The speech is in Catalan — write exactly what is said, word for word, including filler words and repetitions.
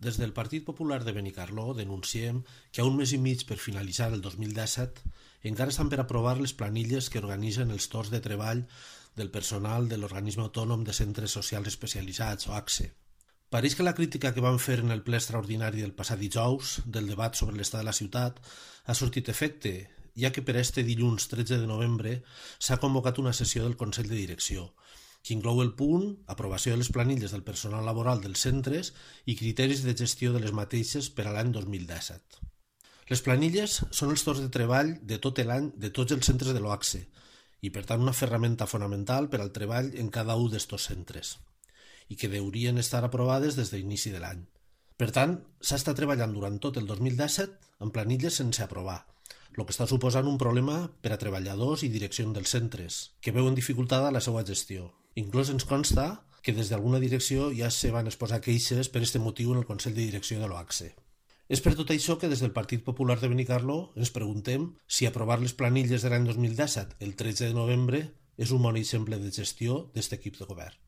Des del Partit Popular de Benicarló denunciem que a un mes i mig per finalitzar el dos mil disset encara estan per aprovar les planilles que organitzen els torns de treball del personal de l'Organisme Autònom de Centres Socials Especialitzats, o A C S E. Pareix que la crítica que van fer en el ple extraordinari del passat dijous del debat sobre l'estat de la ciutat ha sortit efecte, ja que per este dilluns tretze de novembre s'ha convocat una sessió del Consell de Direcció, que inclou el punt aprovació de les planilles del personal laboral dels centres i criteris de gestió de les mateixes per a l'any dos mil disset. Les planilles són els torns de treball de tot l'any de tots els centres de l'O A C S E i, per tant, una ferramenta fonamental per al treball en cada un d'estos centres i que deurien estar aprovades des de l'inici de l'any. Per tant, s'ha estat treballant durant tot el dos mil disset en planilles sense aprovar, el que està suposant un problema per a treballadors i direcció dels centres, que veuen dificultada la seva gestió. Inclús ens consta que des d'alguna direcció ja se van exposar queixes per aquest motiu en el Consell de Direcció de l'O A C S E. És per tot això que des del Partit Popular de Benicarló ens preguntem si aprovar les planilles de l'any dos mil disset el tretze de novembre és un bon exemple de gestió d'aquest equip de govern.